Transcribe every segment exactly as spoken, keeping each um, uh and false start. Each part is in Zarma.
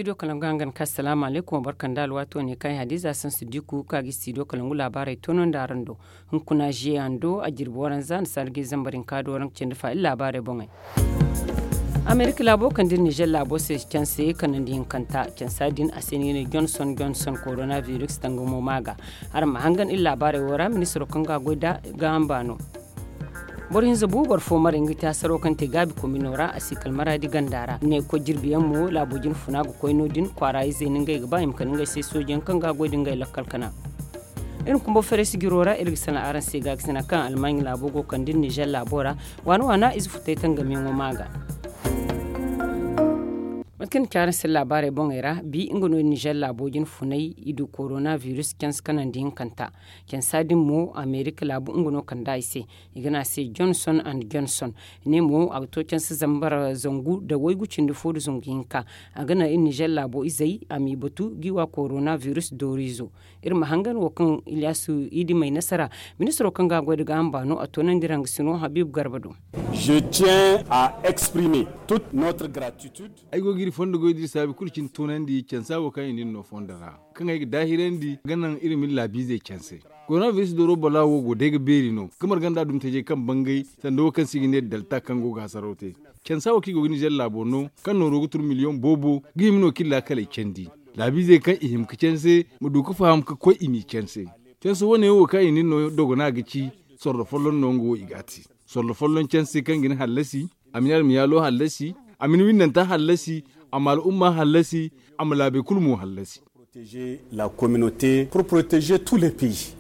Studio kalangu hangan ka salaamu alaykum wa barka nda alwaato ne kaŋ ay hadiza sansu diku ka ga studio kalangu laabaarey toonandi araŋ do. Hunkuna ziye hando a jirbi waranza nda sargay zambar hinka do waranka cindi fa iri laabaarey boŋey. Amerika laabo kaŋ dira nizer laabo se canse kanandi hinkanta cansa din a se no i ga ne johnson johnson korona virus tangamo maaga. Araŋ ma hangan iri laabaarey wo ra ministiro kaŋ ga a goy da ga hamba no. Boro hinza bu boro fo maray nga ti hasaro kaŋ te gaabi komino ra a si kala maraadi ganda ra ne koy jirbi yaŋ mo laabo jine funa ga koy no- din kwaara izey no ngey ga ba i ma kande ngey se sooji yaŋ kaŋ ga a goy da ngey lakkal kana. Iri ma kumbo fereesi jiro ra iri ga salaŋ araŋ se gaakasina kaŋ almaaɲ laabo go kande iri nizer laabo ra. Waana waana ize futay tangamiyaŋo ma ga. Mate kaŋ ni ci araŋ se laabaarey boŋey ra bi nga no iri nizer laabo jine funay i du korona virus canse kanandi hinkanta. Cansa din mo amerika laabu nga no kand'a i se. I ga ne a se johnson and johnson. Ne mo a ga to canse zambar zangu nda waygu cindi fo nda zangu hinka. A ga naŋ iri nizer laabo izey a m'i batu g'i wa korona virus dooriizo. Iri ma hangan wo kaŋ ilyasu i di may nasara. Ministiro kaŋ ga a goy nda gaaham baano a toonandi iri hangasino habiibu garba do. Je tiens à exprimer toute notre gratitude. Ay go ga iri fondo goy da iri saabi kulu cine toonandi cansa wo kaŋ i na iri no fondo ra kaŋ ay ga daahirandi ga naŋ iri ma iri laabiizey canse. Koronabiris dooro bala wo go day ga beeri no ga marga nda adumtajey kaŋ bangay sanda wo kaŋ se i ga ne dalta kaŋ go ga hasaraw te. Cansa wo kaŋ i go ga nizer laabo no kaŋ nooro ga turu miliyoŋ boobo ga hima no kaŋ iri laakaley candi. Laabiizey kaŋ i hima ga canse ma du ga faham ga koy i m'i canse. Canse wane wo kaŋ i na iri no dogona ga ci sorro folloŋ no nga wo i ga a te. Sorro folloŋ canse kaŋ ga ni hallasi, a ma ni almayaalo hallasi, a ma ni windanta hallasi, a ma al'umma hallasi, a ma laabey kulu mo hallasi. Protéger la communauté pour protéger tous les pays.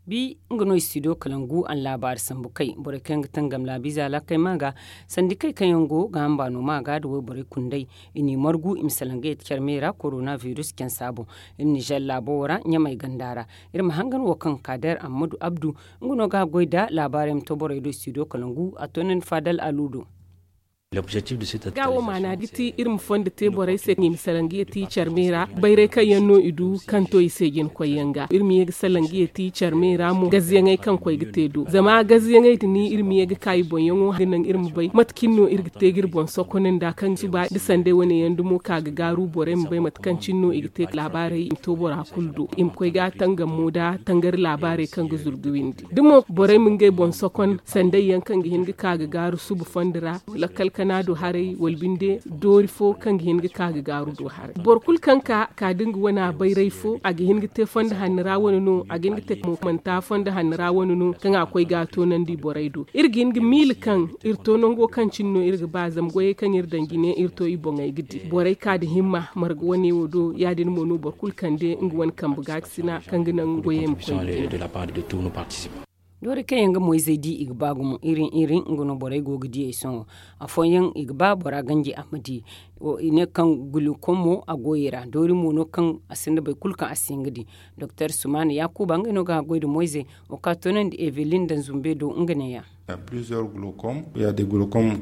Bi nga no i studio kalangu a na laabaari sambu kay borey kaŋ yaŋ ga tangam laabiize alaakey ma ga sandi kay kaŋ yaŋ go ga hamba no ma ga nda wayborey kunday. I n'i margu i ma salaŋ ga yeti care me ra korona virus cansa boŋ. Iri nizer laabo wo ra ɲamay ganda ra. Iri ma hangan wo kaŋ kader ammadu abdu nga no ga a goy nda laabaarey ma to borey do studio kalangu a to no ni faadal alu do. Ga wo maana ga ti iri ma fondo te borey se i ma salaŋ ga yeti care me ra. Bayray kaŋ yaŋ no i du kaŋ to i se jina koy yaŋ ga iri ma ye ga salaŋ ga yeti care me ra mo gaziyaŋey kaŋ koy ga te do zama gaziyaŋey da ni iri ma ye ga ka i boŋ yaŋo ga naŋ iri ma bay mate cine no iri ga te ga iri boŋ sokonandi a kaŋ ga suba da sanday wane yaŋ dumo ka ga gaaru borey ma bay mate kaŋ cine no i ga te laabaarey i ma to bora kulu do i ma koy ga tangam mo nda tangari laabaarey kaŋ ga zuru ga windi da mo borey ma ngey boŋ sokon sanday yaŋ kaŋ ga hin ga ka ga gaaru suba fondo ra lakkal kana do haray wala binde doori fo kaŋ ga hin ga ka ga gaaru do haray boro kulu kaŋ ka ka da nga wana bayray fo a ga hin ga te fondo hanno ra wane no a ga hin ga te mo manta fondo hanno ra wane no kaŋ a koy ga a toonandi borey do iri ga hin ga miila kaŋ iri to nango kaŋ cine no iri ga ba zama goyey kaŋ iri daŋ jine iri to i boŋey ga di borey ka da himma marga wane wo do ya- din mo no boro kulu kande nga wane kambe gaakasina kaŋ ga naŋ goyey ma koy ga di. Doori kaŋ yaŋ ga moyzey di i ga ba gumo irin irin nga no borey go ga di ay sohõ. Afooyaŋ i ga ba bora ganji a ma di. I ne kaŋ gulukom mo a go i ra doori mo no kaŋ a sinda boro kulu kaŋ a si hin ga di. Doktor sumaana yaakuba ngey no ga a goy nda moyzey. Wo ka toonandi evelin daŋ zumbe do nga neeya. Gulukom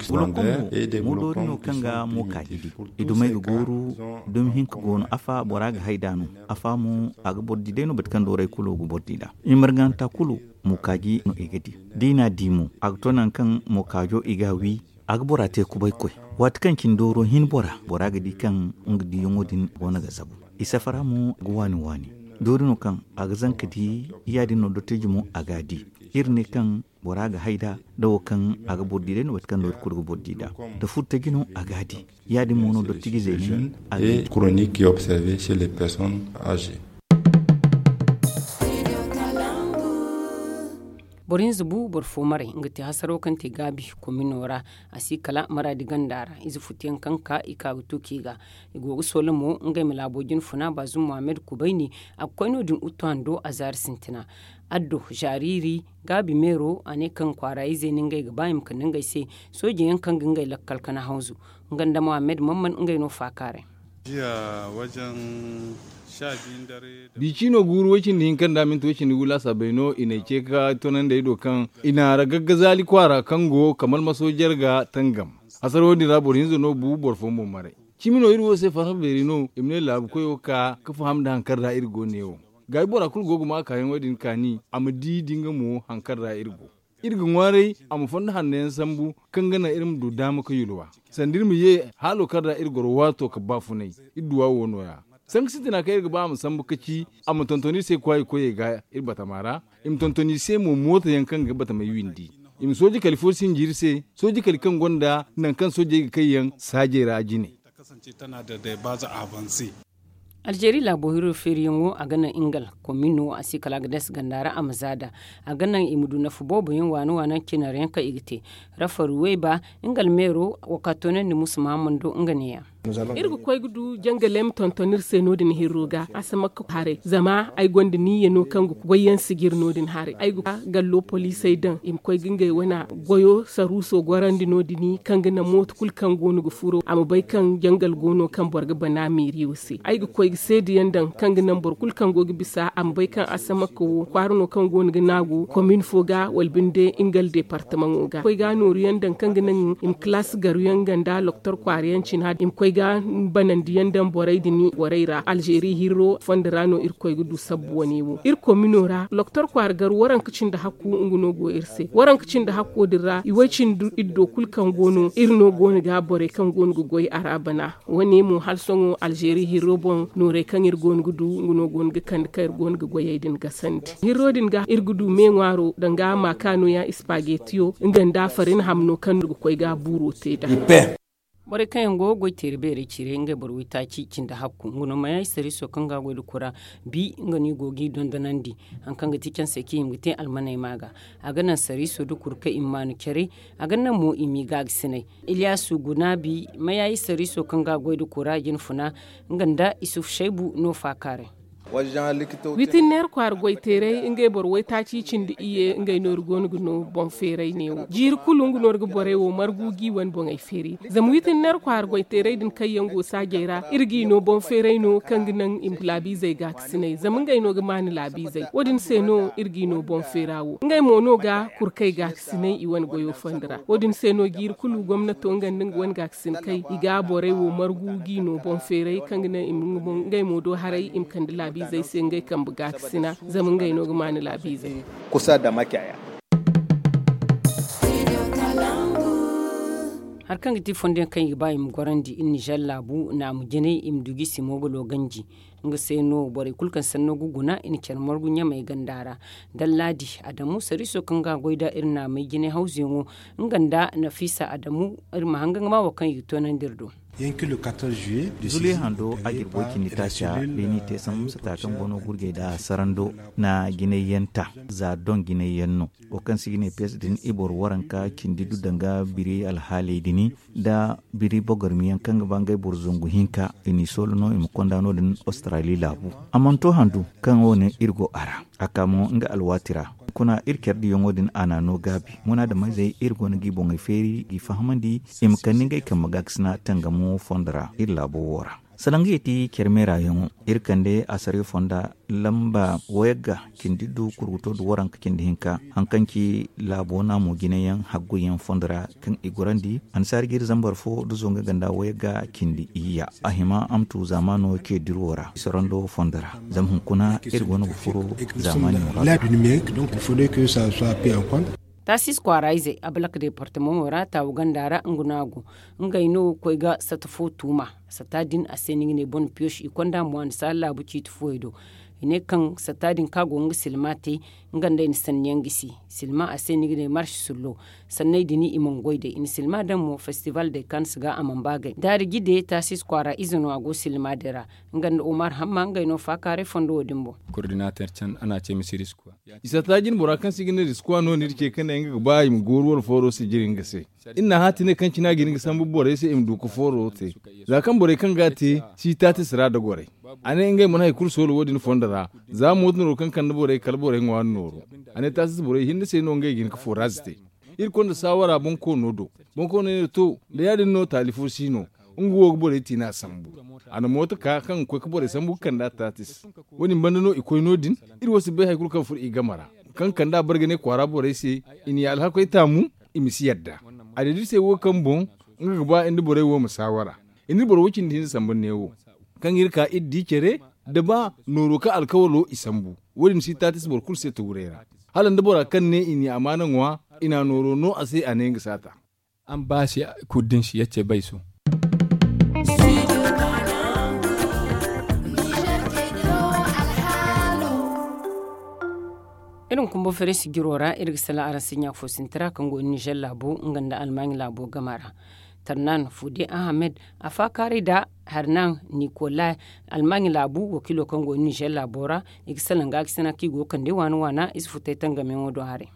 mo doori no kaŋ ga mo ka ga di. I dumey ga gooru dumi hinka go no afa bora ga hay nd'a no. Afa mo a ga boro di day no boro kaŋ dooray kulu ga boro di nd'a. I marganta kulu mookaaji no i ga di. Da i n'a di mo a ga to nangu kaŋ mookaajo i ga a wi. A ga bora te kubaykoy. Waati kaŋ cine dooro hin bora bora ga di kaŋ nga diyaŋo din go no ga zabu. I safara mo ga waani waani. Doori no kaŋ a ga zanka di ya- din no dottijo mo a ga a di. Iri ne kaŋ bora ga hay nd'a da wo kaŋ a ga boro di day no waati kaŋ doori kulu ga boro di nd'a. Da furtaji no a ga a di. Ya- din mo no dottijo zeene a ga di. Chronique observée chez les personnes âgées. Boro hinza bu boro fo maray nga te hasaro kaŋ te gaabi komino ra. A si kala maraadi ganda ra ize futuyaŋ kaŋ ka i ka ga tuuki ga. I go ga soola mo ngey ma laabo jine funa baazum muhammad kubayni. A ga koy no- din uttu hando a zaari sintina. Addo zaariiri gaabi meero a ne kaŋ kwaara izey no ngey ga ba i ma kande ngey se. Sooji yaŋ kaŋ ga ngey lakkal kana hawzu. Nga nda muhammad mamman ngey no faakaaray. Bici no guuru way cindi hinka nda minti way cindi gu laasaabey no i n'ay ce ga toonandi ay do kaŋ i na ragagga zaali kwaara kaŋ go kamal maso jarga tangam. Hasara wo- din ra boro hinza no bu boro fo mo maray. Cimi no iri wo se farhã beeri no i ma ne laabu koyo ka ga faham nda hari kaŋ ra iri go ne wo. Gaayi bora kulu go ga ma kaayaŋo din kaani a ma di da nga mo hari kaŋ ra iri go. Iri ga ŋwaaray a ma fondo hanno yaŋ sambu, kaŋ ga naŋ iri ma du daama ga yulwa sanda iri ma ye haalo kaŋ ra iri goro waato ga baafunay. Iri duwa wo no- ya. Sanka sintina kaŋ iri ga ba a ma sambu ga ci a ma tonton iri se kwaayi koyey ga iri batama ra. I ma tonton i se mo mooto yaŋ kaŋ ga batamey windi. I ma sooji kali fo sinji iri se, sooji kali kaŋ gonda nangu kaŋ soojey ga kay yaŋ saajey ra jine. Alzeeri laabo hiro feeriyaŋo a ga naŋ ingal komino a se kala a ga dees ganda ra a ma zaada. A ga naŋ i ma du nafa boobo yaŋ waana waana cinari yaŋ kaŋ i ga te. Rafaru wayba, ingal meero, wakato ne nda musa mahamando nga ne- ya. Iri ga koy ga du jangalem tonton iri se no- din hirro ga asamakka haray zama ay gonda niyya no kaŋ ga goy yaŋ sijiri no- din haray ay ga gallo poliisey daŋ i ma koy ga ngey wane goyo saruuso gorandi no- din kaŋ ga naŋ mooto kulu kaŋ go no ga furo a ma bay kaŋ jangal go no kaŋ boro ga bana meeriyo se ay ga koy ga seeda yaŋ daŋ kaŋ ga naŋ boro kulu kaŋ go ga bisa a ma bay kaŋ asamakka wo kwaara no kaŋ go no ga naagu komin fo ga wala binde ingal departamaŋo ga koy ga nooru yaŋ daŋ kaŋ ga naŋ i ma kalaasi garu yaŋ ganda loktor kwaara yaŋ cina i ma koy ga banandi yaŋ daŋ borey din borey ra alzeeri hirro fondo ra no iri koy ga du sabbu wane wo iri komino ra loktor kwaara garu waranka cindi hakku nga no go iri se waranka cindi hakko din ra i way cindi iddo kulu kaŋ go no iri no go no ga borey kaŋ go no ga goy a ra bana. Wane mo hala sohõ alzeeri hirro boŋ noorey kaŋ iri go no ga du nga no go no ga kande kaŋ iri go no ga goyey din gasandi hirro din ga iri ga du me ŋwaaro danga maaka nooya ispagetiyo nga nda farin hamno kaŋ no ga koy ga buuro te nd'a. Borey kaŋ yaŋ go ga goy teeri beerey cire ngey boro waytaaci cindi hakku nga no mayayi sariiso kaŋ ga a goy nda kura bi nga no i go g'i dondonandi. Hari kaŋ ga ti cansey kaŋ i hima ga te almaney ma ga a ga naŋ sariiso nda kurkey i ma maanu care. A ga naŋ mo i m'i gaagasinay. Iliyaasu gunaabi mayayi sariiso kaŋ ga a goy nda kura jinfuna nga nda isuf saybu no faakaaray. Wiitinneer kwaara goyteeray ngey boro waytaaci cindi iyye ngey no iri go no ga no boŋ feeray neewo jiiri kulu nga no iri ga borey wo margu g'i wane boŋey feeri zama wiitinneer kwaara goyteeray din kaŋ yaŋ go saajey ra iri g'i no boŋ feeray no kaŋ ga naŋ i ma laabiizey gaakasinay zama ngey no ga maanu laabiizey wo- din se no iri g'i no boŋ feera wo ngey mo no ga kurkey gaakasinay i wane goyo fondo ra wo- din se no jiiri kulu gomnato nga nda nga wane gaakasin kay i ga borey wo margu g'i no boŋ feeray kaŋ ga naŋ i ma ngey mo do haray i ma kande laabiizey se ngey kambe gaakasina zama ngey no ga maanu laabiizey. Hari kaŋ ga ti fondo yaŋ kaŋ i ga ba i ma gorandi iri nizer laabu naamu jinay i ma du g'i se mo ga looganji. Nga se no borey kulu kaŋ sanno ga guna i na care margu ɲamey ganda ra. Dallaadi adamu sariiso kaŋ ga a goy nd'a iri naamey jinay hawzuyaŋo nga nda nafiisa adamu iri ma hanga nga ma wo kaŋ i ga toonandi iri do. Zule hando a jirbo cindi taaca beeni te sambu sata kaŋ go no gurjey nda sarando na jinay yaŋ ta za doŋ jinay yaŋ no. Wo kaŋ se i ga ne pes din i boro waranka cindi du danga biri alhaaley din nda biri bogormiyaŋ kaŋ ga ba ngey boro zangu hinka i n'i soolo no i ma konda no- din australi laabu. A mana to handu kaŋ wo- ne iri go a ra a ka mo nga alwaati ra. Kuna iri care diyaŋo din a n'a no gaabi munaadameyzey iri go no g'i boŋey feeri g'i fahamandi i ma kande ngey kambe gaakasina tangamo fondo ra iri laabo wo ra. Salaŋ ga yeti care meeraayaŋo iri kande asariyo fonda lamba wayagga cindi du kurguto du waranka cindi hinka. Hari kaŋ ci laabo naamo jinayaŋ hagguyaŋ fondo ra kaŋ i gorandi annasaari jiiri zambar fo da zonga ganda wayagga cindi iyya a hima a ma tu zaamaano ce diro ra i sorando fondo ra. Zama hunkuna iri go no ga furo zaamaani muraadu ra. Taasis kwaara izey abalak deepartamaŋo ra taawu ganda ra nga no a go. Ngey no koy ga sata fo tuuma. Sata din a se no i ga ne bone piyoš i konda mo a na saala laabu ciiti fooyaŋ do. I ne kaŋ sata din kaŋ a go ga nga silma te nga nda ay na sanniyaŋ gisi. Silma a se no i ga ne marš sullo. Sanney din i mana goy day i na silma daŋ mo festival day kaŋ si ga a mana ba gay daari jide taasis kwaara ize no a go silma din ra. Nga nda omar hamma ngey no faakaaray fondo wo- din boŋ. I sata jine bora kaŋ se i ga ne riskuwa no no iri ce ka ne nga ga ba i ma gooru wala fooro sijiri nga se. Iri n'a hã ti ne kaŋ cine a ga hin ga sambu borey se i ma du ga fooro te. Za kaŋ borey kaŋ ga a te si taatis ra da gorey. A ne ngey mana hari kulu soolo wo- din fondo ra. Za mooto nooro kaŋ kande borey kala borey ŋwaari nooro. A ne taatis borey hinne se no ngey ga hin ga foraaz te. Iri konda saawara bonkoono do. Bonkoono ne to da ya- din no taali fo si no. Nga wo ga borey tiina sambu. A na mooto ka kaŋ ga koy ga borey sambu ga kand'a taatis. Wo- din banda no i koy no- din. Iri wo si bay hari kulu kaŋ furo i game ra. Kaŋ kand'a bare ga ne kwaara borey se i n'i alhakoy taamu. I ma si yadda. Adadisey wo kaŋ boŋ nga ga ba iri nda borey wo ma saawara. Iri na boro wo- cindi hinza sambu neewo. Kaŋ iri ka iri di care da ba nooro kaŋ alkawalo i sambu. Wo- din si taatis boro kulu se tawuray ra. Hala nda bora kaŋ ne i n'i amaana ŋwa. I na a nooro no a se, a ne nga si a ta. An baasi kulu din si yacce bay so. Iri ma kumbo fere sijiro ra, iri ga salaŋ araŋ se ɲaaka fo sinti ra kaŋ go nizer laabo nga nda almaaɲi laabo gama ra. Tarnan fude ahamed, a faakaaray nda harnan nikolay, almaaɲi laabu wakiilo kaŋ go nizer laabo ra. I ga salaŋ gaakasina kaŋ i go ga kande waana waana ize futay tangamiyaŋo do haray.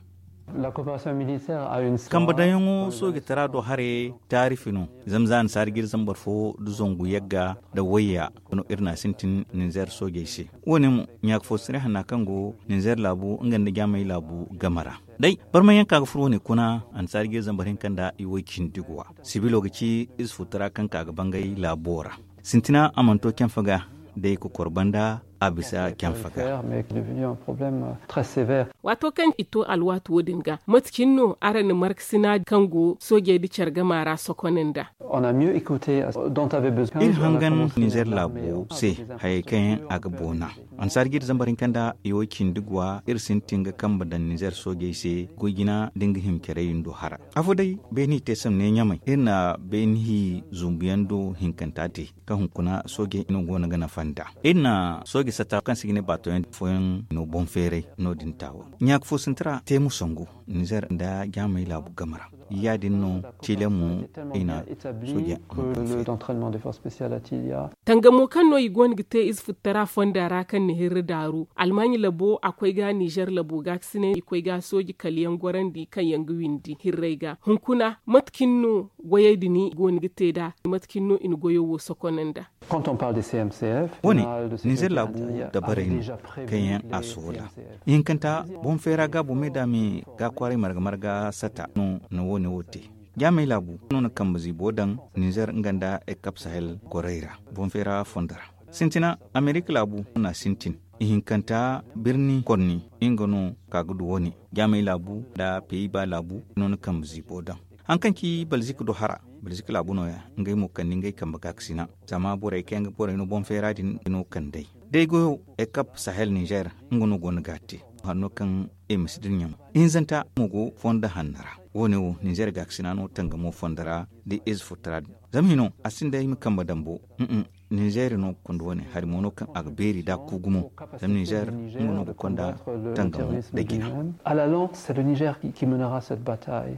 Kambe daŋyaŋo soojitara do haray taarifi no. Zama za annasaara jiiri zambar fo nda zangu yagga nda wayya no iri na a sintin ninzeer soojey se. Wo- ne mo ɲaaka fo sirri hanna kaŋ go ninzeer laabu nga nda jaamay laabu game ra. Day barmayaŋ ka ga furo wo- ne kuna annasaara jiiri zambar hinka nda i woy cindi guwa. Sibilo ga ci ize futara kaŋ ka ga bangay laabo ra. Sintina a mana to canfa ga day kokor banda a bisa canfa ga. Waato kaŋ i to alwaati wo- din ga mate cine no araŋ na markasina kaŋ go soojey nda care gama ra sokon nda? Iri hangan ninzeer laabo se hayey kaŋ yaŋ a ga boona. Annasaara jiiri zambar hinka nda i woy cindi guwa iri sintin ga kambe daŋ ninzeer soojey se goy jina nda nga hima carey nda hara. Afo day beeni te samne ɲamay iri na beeni hi zumbuyaŋ do hinkanta te kaŋ hunkuna soojey no go no ga nafa nd'a. Iri na sooje satta kaŋ se i ga ne baatoyaŋ fooyaŋ no boŋ feeray no- din taawa ɲaaka fo sinti ra te mo sangu ninzeer nda jaamay laabu game ra. Ya- din no tiile mo i na sooje. Tangamo kaŋ no i go no ga te ize futtara fonda ra kaŋ na hirri daaru almaaɲi labo a koy ga ninzeer labo gaakasinay i koy ga sooje kala yaŋ gorandi kaŋ yaŋ ga windi hirray ga hunkuna mate cine no goyey din i go no ga te nd'a? Mate cine no i na goyo wo sokon nd'a? Wo- ne ninzeer laabu dabarey no kaŋ yaŋ a soola. Ihinkanta boŋ feera gaabo me da me ga kwaaray marga marga satta no na wo- ne wo te. Jaamay laabu no na kambe ziibo daŋ ninzeer nga nda ekap sahel gorey ra boŋ feera fondo ra. Sintina amerika laabu no na a sintin. Ihinkanta birni korni nga no ka ga du wo- ne. Jaamay laabu nda peyiba laabu no na kambe ziibo daŋ. Hari kaŋ ci balzik do hara balzik laabu no- ya ngey mo kande ngey kambe gaakasina. Zama borey kaŋ yaŋ ga borey no boŋ feera din no kand'ey day goyo ekap sahel ninzeer nga no go no ga a te. Hanno kaŋ i ma si dira ɲama ihinzanta mo go fondo hanno ra. Wo- ne wo ninzeer gaakasina no tangamo fondo ra da ize futtara din. Zama hino a sinda i ma kambe dambo. Ninzeer no ga konda wo- ne hari mo no kaŋ a ga beeri da ku gumo. Zama ninzeer nga no ga konda tangamo da jina. Alalan c'est le niger qui menera cette bataille.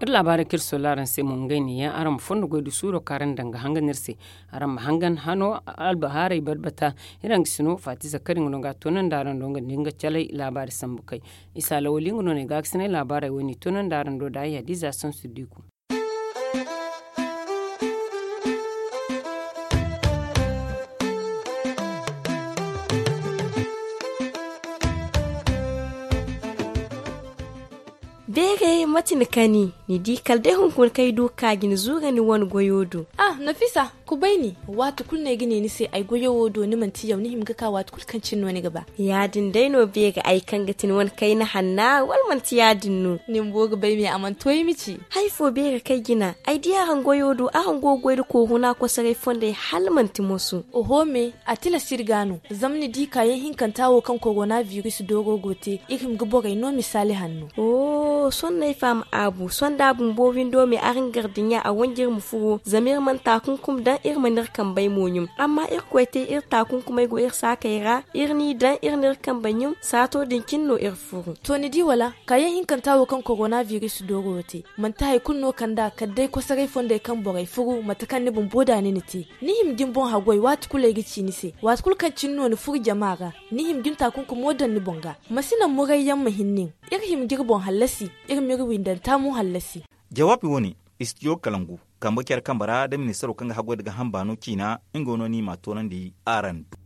Iri laabaarey kaŋ iri sola araŋ se mo ngey ne yaŋ araŋ ma fondo goy da suuro kaŋ araŋ daŋ ga hangan iri se. Araŋ ma hangan hano albahaaray barbata. Iri hangasino faati zakari nga no ga a toonandi araŋ do nga nda nga calay laabaari sambu kay. Isa lawali nga no no ay gaakasinay laabaarey wo- ne i toonandi araŋ do da ay hadiza sansu diku. Beeray mate ni kani? Ni di kala day hunkuna kaŋ ay du ga ka ga ni zuura ni wane goyo do. Ah nafisa, kubay ni. Waati kulu no ay ga ne ni se ay goyo wo do ni manti yaw ni hima ga ka waati kulu kaŋ cine no ni ga ba. Ya- din day no beeri ay kaŋ ga ti ni wane kayna hanna wala manti ya- din no? Ni bumbo ga bay me a mana to ay ma ci. Hari fo beeri kaŋ ay jina ay di araŋ goyo do araŋ go ga goy nda kooruna kosoray fondey hala manti moso. Oho me, a tilas iri ga no. Zama ni di kaayaŋ hinkanta wo kaŋ korona biris dooro go te, iri hima ga borey no misaali hanno. Sohõ no ay faham aabu sohõ da a bumbo windo me araŋ gar dinya a wanj'iri ma furo zama iri mana taakunkum daŋ iri mana iri kambey mo ɲum. Amma irkoy te iri taakunkumey go iri saakey ra iri n'i daŋ iri n'iri kambey ɲum saato din cine no iri furu. To ni di wala? Kaayaŋ hinkanta wo kaŋ korona biris dooro wo te manti hari kulu no kand'a kala day kosoray fondey kaŋ borey furu mate kaŋ ni bumbo da ni na te. Ni hima ga ni boŋ haggoy waati kulu ay ga ci ni se waati kulu kaŋ cine no ni furu jama ra. Ni hima ga ni taakunkumo daŋ ni boŋ ga. Ma si naŋ murayyaŋ ma hin nin. Iri hima ga iri boŋ hallasi. Iri m'iri windanta mo hallasi. Jawaabi wo- ne, istidiyo kalangu kambe care kambe ra da ministaro kaŋ ga haggoy nda gaaham baano ciina nga no no i m'a toonandi araŋ do.